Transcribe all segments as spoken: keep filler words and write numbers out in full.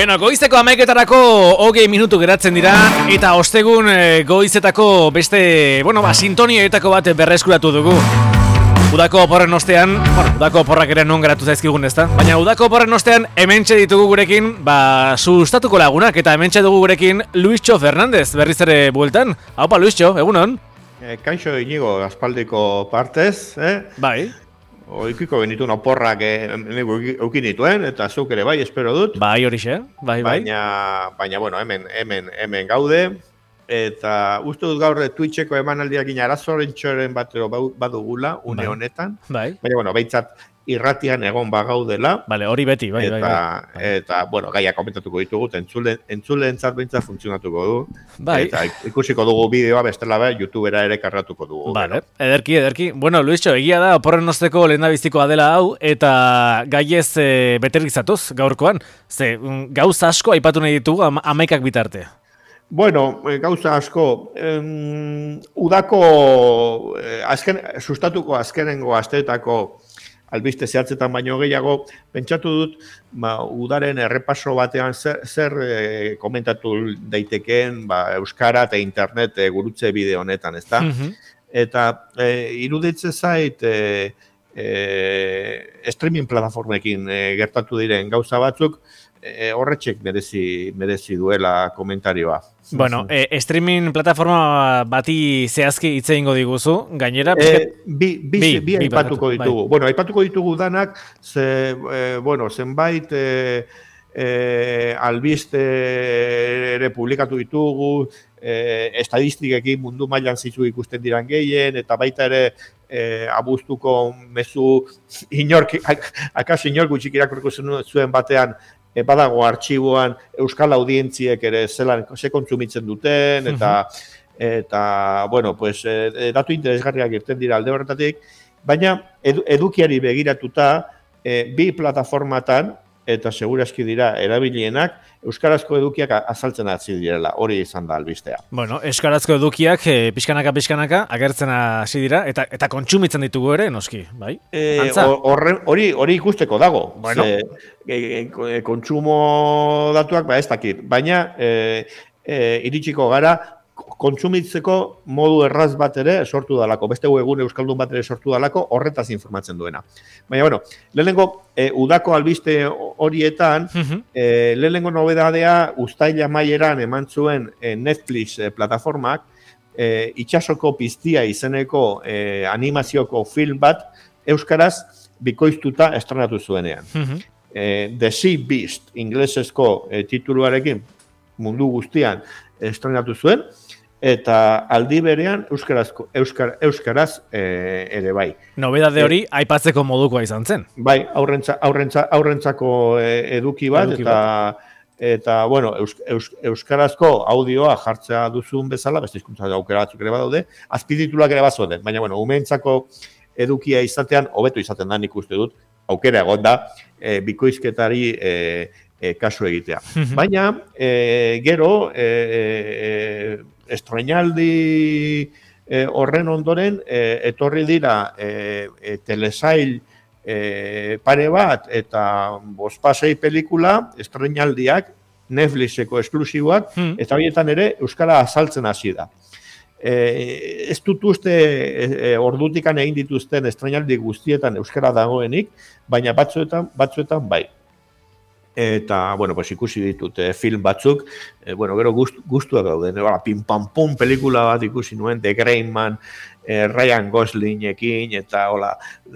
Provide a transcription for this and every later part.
Beno, goizeko hamaiketarako hogei minutu geratzen dira, eta ostegun e, goizetako beste, bueno, ba, sintonietako bat berreskuratu dugu. Udako oporren ostean, bueno, udako oporrak ere non geratu zaizkigun ezta, baina udako oporren ostean hementxe ditugu gurekin, ba, sustatuko lagunak, eta hementxe dugu gurekin Luisxo Fernandez, berriz ere bueltan. Haupa, Luisxo, egunon? E, kaixo inigo, aspaldiko partez, eh? Bai. Oikiko benituen oporrak eukin dituen, eta zuk ere bai, espero dut. Bai, horixe, bai, bai. Baina, baina bueno, hemen, hemen, hemen gaude, eta uste dut gaur Twitcheko emanaldiak arazoren batero badugula, une bai. honetan. Bai. Baina, bueno, behintzat irratian egon bagaudela. Bale, hori beti, bai, eta, bai, bai. Eta, bueno, gaia komentatuko ditugu, entzule, entzuleentzat behintzat funtzionatuko du. Bai. Eta ikusiko dugu bideoa bestela be, YouTubera ere karratuko dugu. Vale, ederki, ederki. Bueno, Luisxo, egia da, oporren osteko lehendabizikoa dela hau, eta gaiez e, beterizatuz gaurkoan. Ze, gauza asko aipatu nahi ditugu ama, amaikak bitarte. Bueno, gauza asko, em, udako, eh, azken, sustatuko azkenengo asteetako albiste zehatzetan baino gehiago, pentsatu dut, ba, udaren errepaso batean zer, zer e, komentatu daitekeen ba, euskara eta internet e, gurutze bideo honetan, ezta? Mm-hmm. Eta e, iruditzen zait e, e, streaming plataformekin e, gertatu diren gauza batzuk, e, horretxek merezi, merezi duela komentarioa. Bueno, e, streaming plataforma bati zehazki hitz egingo diguzu, gainera... E, bi, bi, bi, bi aipatuko bi, ditugu. Bai. Bueno, aipatuko ditugu danak, ze, e, bueno, zenbait e, e, albiste ere publikatu ditugu, e, estadistikekin mundu mailan zizu ikusten diran gehien, eta baita ere e, abuztuko mezu inork, akas inork gutxik irakurriko zuen batean, E, badago artxiboan euskal audientziek ere zelan ze kontsumitzen duten, eta, uh-huh. eta bueno, pues, e, datu interesgarriak irten dira alde horretatik, baina edu, edukiari begiratuta e, bi plataformatan, eta segurazki dira erabilienak, euskarazko edukiak azaltzen hasi direla, hori izan da albistea. Bueno, euskarazko edukiak e, pixkanaka pixkanaka agertzen hasi dira, eta eta kontsumitzen ditugu ere, noski, bai? E, hori, hori ikusteko dago. Bueno. Ze, e, e, kontsumo datuak, ba ez dakit, baina e, e, iritsiko gara, kontsumitzeko modu erraz bat ere sortu dalako, beste egun euskaldun bat ere sortu dalako, horretaz informatzen duena. Baina, bueno, lehenengo e, udako albiste horietan, uh-huh. e, lehenengo nobedadea uztaila maieran eman zuen e, Netflix e, plataformak, e, Itsasoko piztia izeneko e, animazioko film bat, euskaraz bikoiztuta estrenatu zuenean. Uh-huh. e, The Sea Beast, inglesezko e, tituluarekin mundu guztian estrenatu zuen, eta aldi berean euskarazko euskar, euskaraz e, ere bai. Nobedade hori e, aipatzeko modukoa izan zen. Bai, aurrentza, aurrentza, aurrentzako eduki bat, eduki eta bat. Eta bueno, eus, eus, euskarazko audioa jartzea duzun bezala, beste hizkuntza aukera batzuk ere badaude, azpitituluak ere bazoden, baina bueno, umeentzako edukia izatean hobeto izaten da, nik uste dut, aukera egon da, e, bikoizketari e, e, kasu egitea. Baina, e, gero, e, e, estrenaldi e, horren ondoren, e, etorri dira e, e, telesail e, pare bat eta bospasei pelikula, estrenaldiak, Netflixeko esklusiboak, hmm. eta horietan ere euskara azaltzen hasi da. E, ez dut uste e, e, ordutikan egin dituzten estrenaldi guztietan euskara dagoenik, baina batzuetan, batzuetan bai. Eta, bueno, pues ikusi ditut eh, film batzuk, eh, bueno, gero gust, gustua dauden, eh, pim pam pum pelikula bat ikusi nuen, The Gray Man, eh, Ryan Goslingekin, eta hola,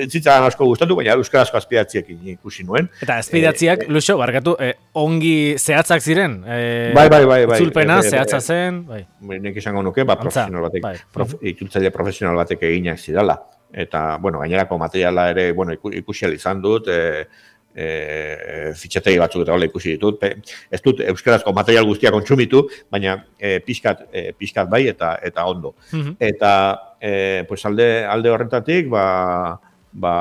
zitzaren asko gustatu, baina euskarazko azpidatziekin ikusi nuen. Eta azpidatziak, eh, Luxo, barkatu, eh, ongi zehatzak ziren? Eh, bai, bai, bai. bai Itzulpena, eh, zehatza zen? Bai. Nek izango nuke, ba, profesional batek, bai. prof, itzultzaile profesional batek eginak zidala. Eta, bueno, gainerako materiala ere, bueno, ikusi izan dut, eh, E, fitxategi batzuk eta hola ikusi ditut. Ez dut euskarazko material guztia kontsumitu, baina e, pixkat, e, pixkat bai eta eta ondo. Mm-hmm. Eta e, pues alde, alde horretatik, ba, ba,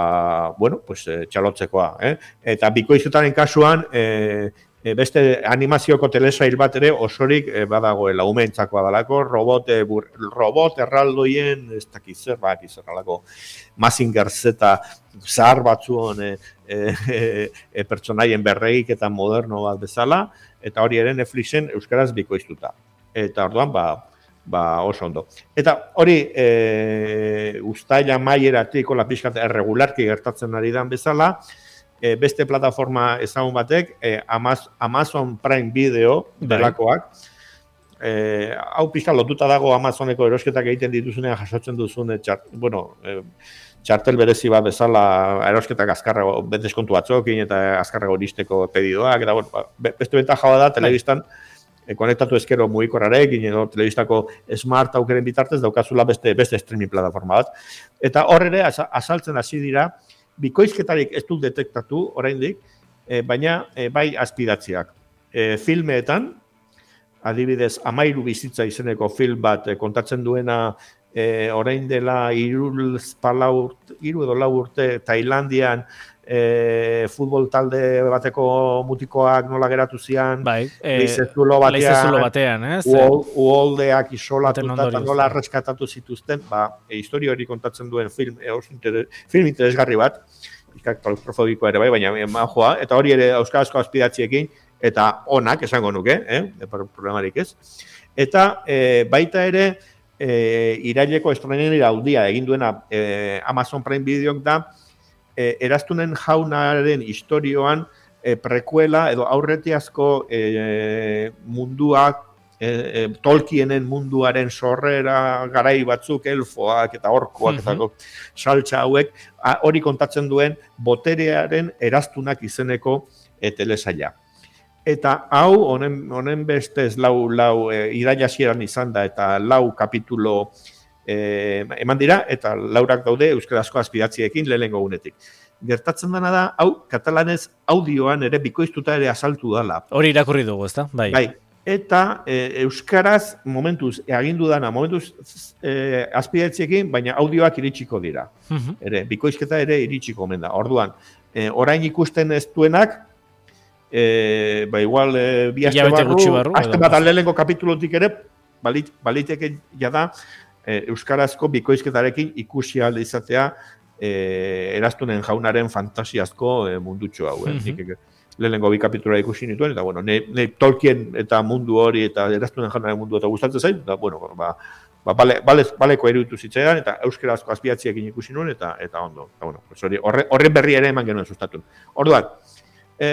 bueno, pues, e, txalotzekoa. Eh? Eta bikoizutaren kasuan, e, e, beste animazioko telesail bat ere osorik e, badagoela, umeentzakoa dalako, robot, e, bur, robot erraldoien, ez dakiz zer, bak izerralako, Mazinger Z zahar batzuon e, e, e, pertsonaien berregik eta moderno bat bezala, eta hori ere Netflixen euskaraz bikoiztuta. Eta orduan, ba, ba oso ondo. Eta hori, e, uztaila maieratik, hola pixkat erregularki gertatzen ari dan bezala, e, beste plataforma ezagun batek, e, Amazon Prime Video delakoak, e, hau pixka lotuta dago Amazoneko erosketak egiten dituzunean jasotzen duzun, e, txart, bueno, e, txartel berezi bat bezala erosketak azkarrago, deskontu batzokin eta azkarrago iristeko pedidoak, eta bueno, beste bentaja da, telebistan, E, konektatu ezkero mugikorrarekin edo telebistako smart aukeren bitartez daukazula beste beste streaming plataforma bat. Eta hor ere azaltzen hasi dira bikoizketarik ez dut detektatu oraindik, e, baina e, bai azpidatziak. E, filmeetan, adibidez, Amairu bizitza izeneko film bat e, kontatzen duena e, orain dela hiru edo lau urte Tailandian E, futbol talde bateko mutikoak nola geratu zian, bai, e, leizezulo batean, batean eh? uholdeak isolatuta eta nola reskatatu zituzten, ba, e, historia hori kontatzen duen film, e, inter, film interesgarri bat, ikak klaustrofobikoa ere bai, baina joa, eta hori ere euskarazko azpidatziekin, eta onak esango nuke, eh? Problemarik ez. Eta e, baita ere, e, iraileko estrenera aldia egin duena e, Amazon Prime Videok da, E, eraztunen jaunaren historioan e, prekuela edo aurretiazko e, munduak, e, e, Tolkienen munduaren sorrera garai batzuk, elfoak eta orkoak mm -hmm. eta saltza hauek, a, hori kontatzen duen boterearen eraztunak izeneko e, telesaila. Eta hau, honen, honen bestez lau, lau e, irailazieran izan da eta lau kapitulo E, eman dira, eta laurak daude euskarazko azpidatziekin lehenengo gunetik. Gertatzen dena da, hau, katalanez audioan ere bikoiztuta ere azaltu dala. Hori irakurri dugu, ezta? Bai. Bai. Eta e, euskaraz momentuz, agindu dana, momentuz e, azpidatziekin, baina audioak iritsiko dira. Uh-huh. Ere, bikoizketa ere iritsiko omen da. Orduan, e, orain ikusten ez duenak, e, ba igual, e, bi aste barru, barru, aste bat lehenengo kapitulotik ere, balit, baliteke jada, E, euskarazko bikoizketarekin ikusi alde izatea e, eraztunen jaunaren fantasiazko e, mundutxo hau. Eh? Mm-hmm. Lehenengo bi kapitula ikusi nituen, eta bueno, ne, ne Tolkien eta mundu hori eta eraztunen jaunaren mundu eta gustatzen zain, eta bueno, ba, ba, bale, bale, baleko eruditu zitzaidan, eta euskarazko azpidatziekin ikusi nuen, eta eta ondo. Eta bueno, pues hori, horre, horren berri ere eman genuen sustatun. Orduan, e,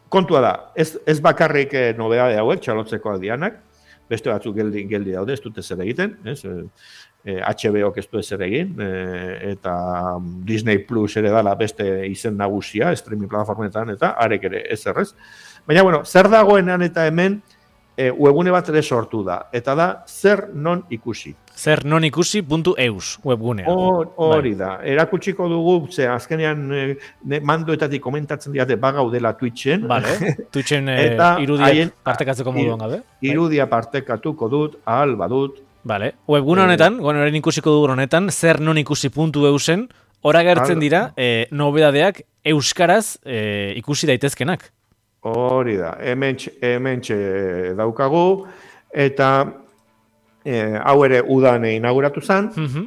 kontua da, ez, ez bakarrik e, nobedade hauek, txalotzeko aldianak, beste batzuk geldi, geldi daude, ez dute zer egiten, ez? E, H B O ez du zer egin, e, eta Disney Plus ere dala beste izen nagusia, streaming plataformetan, eta arek ere ez errez. Baina, bueno, zer dagoenan eta hemen, e, webgune bat ere sortu da, eta da, zer non ikusi. zer non ikusi puntu eus webgunea. Hori da, erakutsiko dugu, ze azkenean e, mandoetatik komentatzen diate bagaudela Twitchen. Vale, Twitchen e, irudia partekatzeko moduan gabe. Irudia partekatuko dut, ahal badut. Vale, webgune honetan, e, bueno, ikusiko dugu honetan, zer non ikusi puntu eusen, ora gertzen dira, e, nobedadeak euskaraz e, ikusi daitezkenak. Hori da, hemen txe daukagu, eta E, hau ere udan inauguratu zen, uh-huh.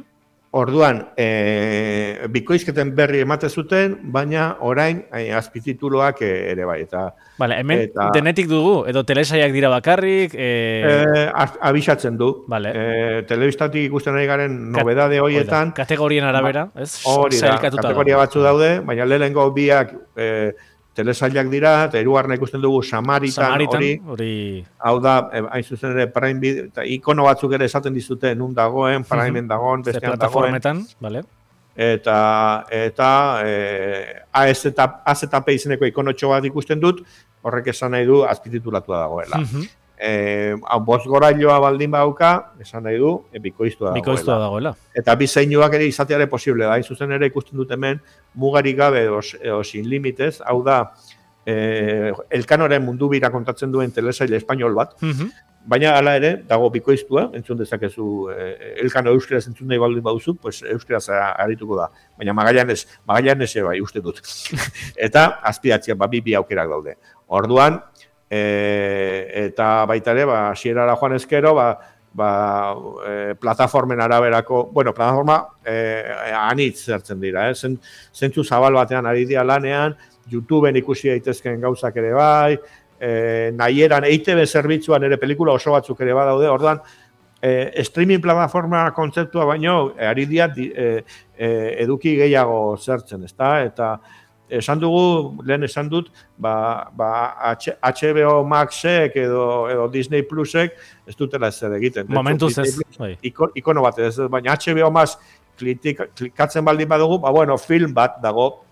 Orduan e, bikoizketen berri emate zuten, baina orain e, azpitituloak ere bai. Eta, vale, hemen eta, denetik dugu, edo telesaiak dira bakarrik? E... E, abisatzen du. Vale. E, telebistatik ikusten ari garen nobedade horietan. Kategorien arabera, ez? Hori da, kategoria batzu daude, baina lehenengo biak... E, telesailak dira, eta hirugarrena ikusten dugu Samaritan, Samaritan hori, hori, hau da, hain zuzen ere, Prime Video, eta ikono batzuk ere esaten dizute, nun dagoen, Primeen dagoen, bestean dagoen. Vale. Eta, eta e, A Z eta P izeneko ikonotxo bat ikusten dut, horrek esan nahi du, azpititulatua dagoela. Uh-huh. E, bost gorailoa baldin bauka, esan nahi du, e, bikoiztua dagoela. Bikoiztua dagoela. Eta bi zeinuak ere izateare posible da, hain zuzen ere ikusten dut hemen, mugarik gabe o, o sin limitez, hau da, e, Elkanoren mundu bira kontatzen duen telesaile espainol bat, uh-huh. Baina hala ere, dago bikoiztua, entzun dezakezu, e, Elkano euskaraz entzun nahi baldin baduzu, pues euskaraz arituko da. Baina Magallanes, Magallanes bai, uste dut. Eta azpidatzea, ba, bi bi aukerak daude. Orduan, e, eta baita ere, ba, hasierara joan ezkero, ba, ba, e, plataformen araberako, bueno, plataforma e, anitz zertzen dira, eh? Zentzu zabal batean ari dira lanean, YouTubeen ikusi daitezkeen gauzak ere bai, e, nahieran E I T B zerbitzuan ere pelikula oso batzuk ere badaude, orduan, e, streaming plataforma kontzeptua baino, e, ari dira e, e, eduki gehiago zertzen, ezta? Eta esan dugu, lehen esan dut, ba, ba H B O Maxek edo, edo Disney Plusek ez dutela ez egiten. Momentuz ez. Iko, ikono bat ez, baina H B O Max klikatzen baldin badugu, ba, bueno, film bat dago,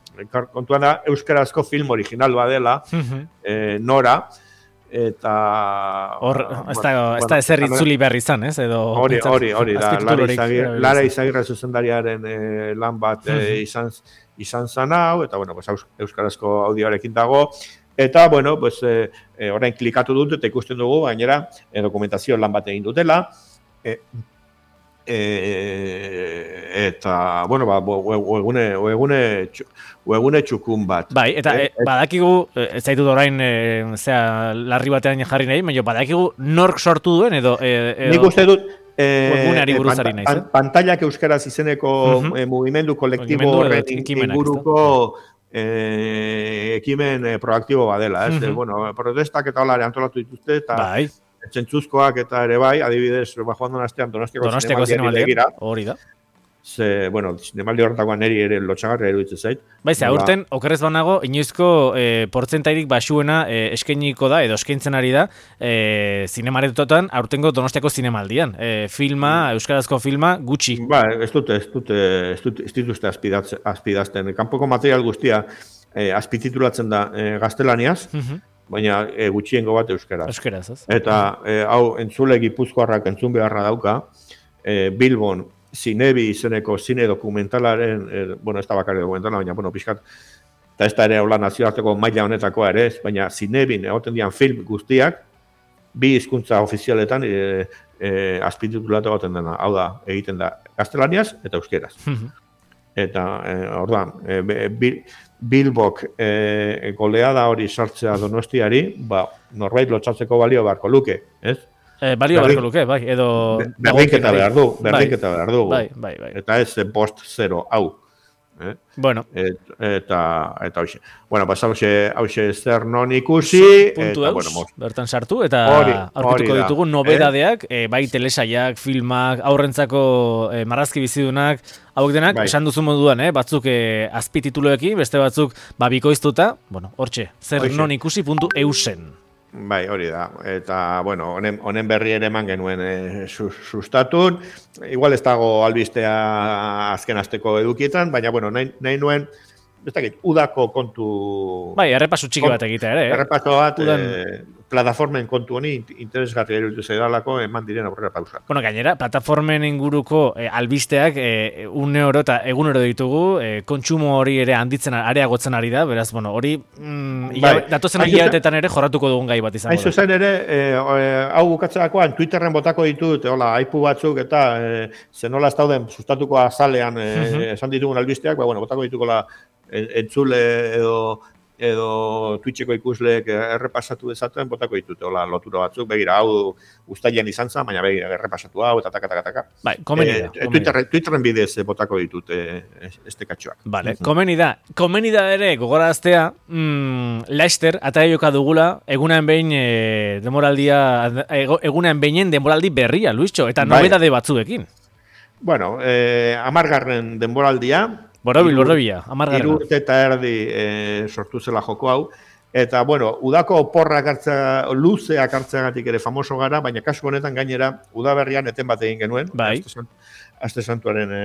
kontuan da, euskarazko film original badela, eh, Nora, eta... Hor, ez da, ez da ezer itzuli behar izan, ez? Hori, hori, hori, da, Lara Izagirre zuzendariaren eh, lan bat eh, izan, izan zan hau, eta, bueno, pues, euskarazko audioarekin dago, eta, bueno, pues, eh, eh, orain klikatu dut, eta ikusten dugu, gainera, eh, dokumentazio lan bat egin dutela, eh, E, eta, bueno, ba, webgune webgune webgune txukun bat. Bai, eta e, e, badakigu, ez zaitut orain, e, zera, larri batean jarri nahi, baina badakigu nork sortu duen, edo... E, edo nik uste dut, e, webguneari buruz ari naiz, eh? Pantailak euskaraz izeneko uh-huh. e, mugimendu kolektibo horren inguruko e, ekimen e, proaktibo badela, ez? Uh-huh. Bueno, protestak eta holare antolatu dituzte, eta... Bai. Zentzuzkoak eta ere bai, adibidez, ba, joan duen astean Donostiako, Donostiako zinemaldiari hori da. Ze, bueno, zinemaldi horretakoan neri ere lotxagarria eruditzen zait. Bai, ze, aurten, okerrez banago, inoizko eh, portzentairik basuena eh, eskainiko da, edo eskaintzen ari da, eh, zinemaretotan, aurtengo Donostiako zinemaldian. Eh, filma, mm. euskarazko filma, gutxi. Ba, ez dute, ez dute, ez dute, ez dituzte azpidazten. Kanpoko material guztia eh, azpititulatzen da eh, gaztelaniaz, mm-hmm. baina e, gutxiengo bat euskaraz. Euskaraz, ez? Eta e, hau entzule Gipuzkoarrak entzun beharra dauka, e, Bilbon Zinebi izeneko zine dokumentalaren, e, bueno, ez da bakarri dokumentala, baina, bueno, pixkat, eta ez da ere hola nazioarteko maila honetakoa ere ez, baina Zinebin egoten dian film guztiak, bi hizkuntza ofizialetan e, e, azpititulatu egoten dena, hau da, egiten da gaztelaniaz eta euskeraz. Eta, e, orduan, e, bil, Bilbok e, goleada hori sartzea Donostiari, ba, norbait lotxatzeko balio beharko luke, ez? E, balio beharko luke, bai, edo... Berdinketa behar du, berdinketa behar du. Bai, bai, bai. Eta ez post zero, hau. Eh? Bueno. Et, eta, eta hauxe. Bueno, pas hauxe, hauxe zer non ikusi. Puntu eus, bueno, bertan sartu, eta aurkituko ditugu nobedadeak, eh? E, bai telesaiak, filmak, aurrentzako e, marrazki bizidunak, hauek denak, bai. Esan duzu moduan, eh? Batzuk e, azpitituluekin, beste batzuk babikoiztuta, bueno, hortxe, zer Oixe. Non ikusi puntu eusen. Bai, hori da. Eta, bueno, honen, honen berri ere eman genuen e, sustatun. Igual ez dago albistea azken asteko edukietan, baina, bueno, nahi, nahi nuen, ez dakit, udako kontu... Bai, errepasu txiki bat egitea ere. Eh? Errepasu bat, Udan... e, plataformen kontu honi interesgarri eruditu zaidalako eman diren aurrera pausak. Bueno, gainera, plataformen inguruko e, albisteak e, une oro eta egun oro ditugu, e, kontsumo hori ere handitzen, areagotzen ari da, beraz, bueno, hori mm, bai. ia, datozen hilabetetan ere jorratuko dugun gai bat izango da. Hain zuzen ere, e, e, hau bukatzerakoan, Twitterren botako ditut, hola, aipu batzuk eta e, zenola ez dauden sustatuko azalean e, uh-huh. esan ditugun albisteak, ba, bueno, botako dituko la entzule edo edo Twitcheko ikusleek errepasatu dezaten, botako ditute, hola, lotura batzuk, begira, hau ustailean izan zen, baina begira, errepasatu hau, eta taka-taka-taka. Bai, komeni da. E, Twitterren, Twitterren bidez botako ditute este katxoak. Vale, mm-hmm. komeni da. Komeni da ere, gogoraztea, mm, Leicester, ataia joka dugula, egunean behin e, demoraldia, egunean behinen demoraldi berria, Luischo, eta nobedade bai. Batzuekin. Bueno, eh, amargarren denboraldia, Borobil, borobila, amargarra. Hiru urte eta erdi e, sortu zela joko hau. Eta, bueno, udako oporrak hartzea, luzeak hartzeagatik ere famoso gara, baina kasu honetan gainera, udaberrian eten bat egin genuen. Bai. Aste santuaren e,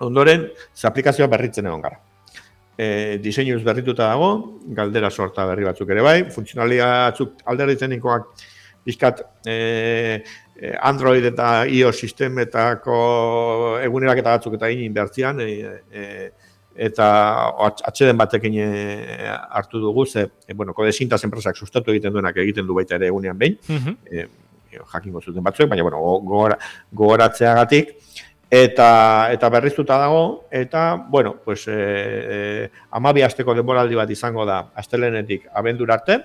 ondoren, ze aplikazioa berritzen egon gara. E, diseinuz berrituta dago, galdera sorta berri batzuk ere bai, funtzionalia batzuk alderdizenikoak bizkat e, Android eta iOS sistemetako eguneraketa batzuk eta egin bertzian, e, e, eta atxeden batekin e, hartu dugu, ze, e, bueno, Kodesintaz enpresak sustatu egiten duenak egiten du baita ere egunean behin, uh-huh. e, jakingo zuten batzuek, baina, bueno, gogora, gogoratzeagatik, eta, eta berriztuta dago, eta, bueno, pues, e, e, amabi asteko denboraldi bat izango da, astelenetik abendura arte,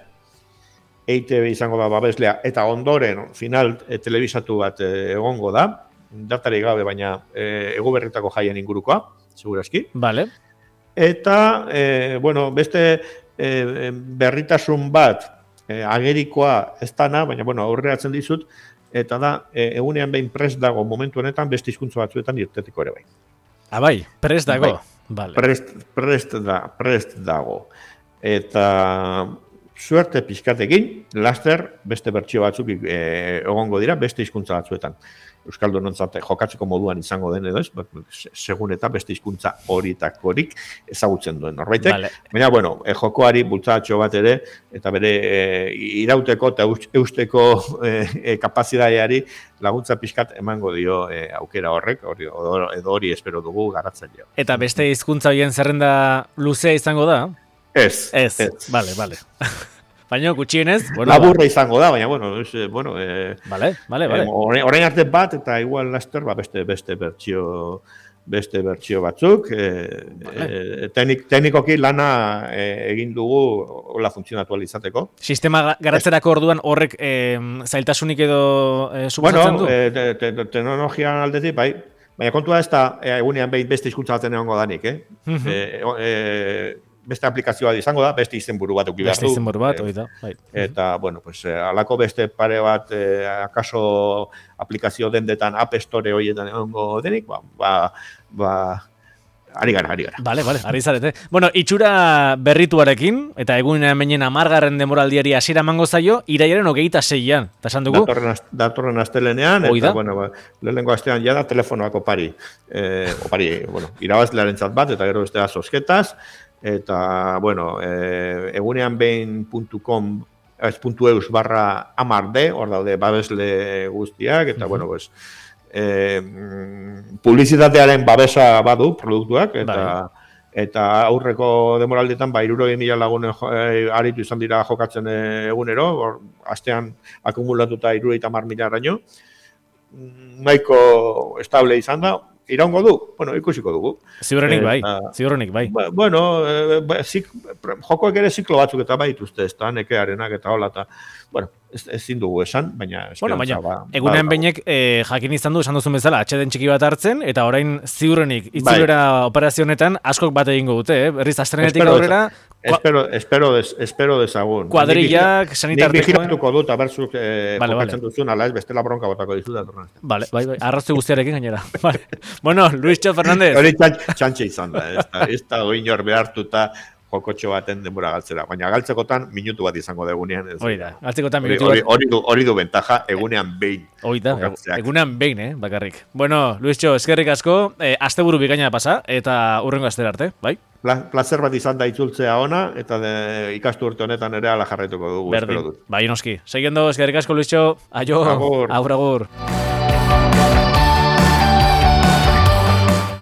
E I T B izango da babeslea, eta ondoren final e, telebisatu bat e, egongo da, datarik gabe, baina e, ego berritako jaien ingurukoa, segurazki. Vale. Eta, e, bueno, beste e, berritasun bat, e, agerikoa ez dana, baina bueno, aurreratzen dizut, eta da, e, egunean behin prest dago momentu honetan beste hizkuntza batzuetan irteteko ere bai. Ah, bai, prest dago. Bai. Vale. Prest, prest, da, prest dago. Eta suerte pizkatekin, laster beste bertsio batzuk e, egongo dira, beste hizkuntza batzuetan. Euskaldunontzat jokatzeko moduan izango den edo ez, segun eta beste hizkuntza horitakorik ezagutzen duen norbaitek. Vale. Baina, bueno, e, jokoari bultzatxo bat ere, eta bere e, irauteko eta eusteko e, e, kapazitateari laguntza pixkat emango dio e, aukera horrek, hori, edo hori espero dugu garatzailea. Eta beste hizkuntza horien zerrenda luzea izango da? Ez. Ez, ez. Vale, vale. Baina gutxienez, bueno, laburra ba. Izango da, baina bueno, es, bueno, eh, vale, vale, vale. Eh, orain arte bat eta igual laster ba beste beste bertsio beste bertsio batzuk, eh, vale. eh, teknik, teknikoki lana eh, egin dugu hola funtzionatu izateko. Sistema garatzerako orduan horrek eh, zailtasunik edo eh, suposatzen du? Bueno, eh, te, te, te, teknologian aldetik bai, baina kontua ez da eh, egunean behin beste hizkuntza baten egongo danik, eh? Uh-huh. eh, eh beste aplikazioa izango da, beste izenburu bat uki behar du. Beste izenburu bat, hori da. Bai. Eta, bueno, pues, alako beste pare bat, eh, akaso aplikazio dendetan App Store horietan egongo denik, ba, ba, ba, ari gara, ari gara. Bale, bale, ari zarete. Bueno, itxura berrituarekin, eta egunean meinen amargarren demoraldiari hasiera emango zaio, iraiaren hogeita seian. Eta esan dugu? Datorren, datorren astelenean, eta, bueno, ba, lehenengo astean jada telefonoak opari. Eh, opari, bueno, irabazlearen zat bat, eta gero bestea sosketaz, eta, bueno, e, egunean behin puntu com, ez puntu eus barra amarde, hor daude babesle guztiak, eta, uh-huh. bueno, pues, e, publizitatearen babesa badu produktuak, eta, bai. Eta aurreko demoraldetan, ba, irurogei mila lagunen e, aritu izan dira jokatzen egunero, or, astean akumulatuta irurogei tamar mila araño, nahiko estable izan da, iraungo du, bueno, ikusiko dugu. Ziurrenik bai, ziurrenik bai. Ba, bueno, e, ba, zik, jokoek ere ziklo batzuk eta bai dituzte, ez da, nekearenak eta hola, eta, bueno, ez, ezin dugu esan, baina... Bueno, baina, ba, egunean ba, beinek eh, jakin izan du, esan duzun bezala, atxeden txiki bat hartzen, eta orain ziurrenik, itzulera bai. Operazionetan askok bat egingo dute, eh? Berriz, astrenetik aurrera... Espero, espero, des, espero dezagun. Kuadrillak, sanitartekoen... Nik vigilatuko dut, abertzuk eh, vale, jokatzen vale. Duzun, ala ez, bestela bronka botako dizu da. Vale, bai, bai, arraztu guztiarekin gainera. Vale. Bueno, Luischo Fernández. Hori txantxe izan da, ez da, ez da oinor behartuta jokotxo baten denbora galtzera, baina galtzekotan minutu bat izango da egunean. Hori da, galtzekotan minutu bat. Hori du, hori du bentaja egunean behin. Hori da, egunean behin, eh, bakarrik. Bueno, Luischo, eskerrik asko, eh, asteburu bikaina pasa, eta urrengo astera arte, bai? Plazer bat izan da itzultzea ona, eta de, ikastu urte honetan ere ala jarraituko dugu. Berdin, bai noski. Seguiendo, eskerrik asko, Luischo, aio, agur, agur. agur.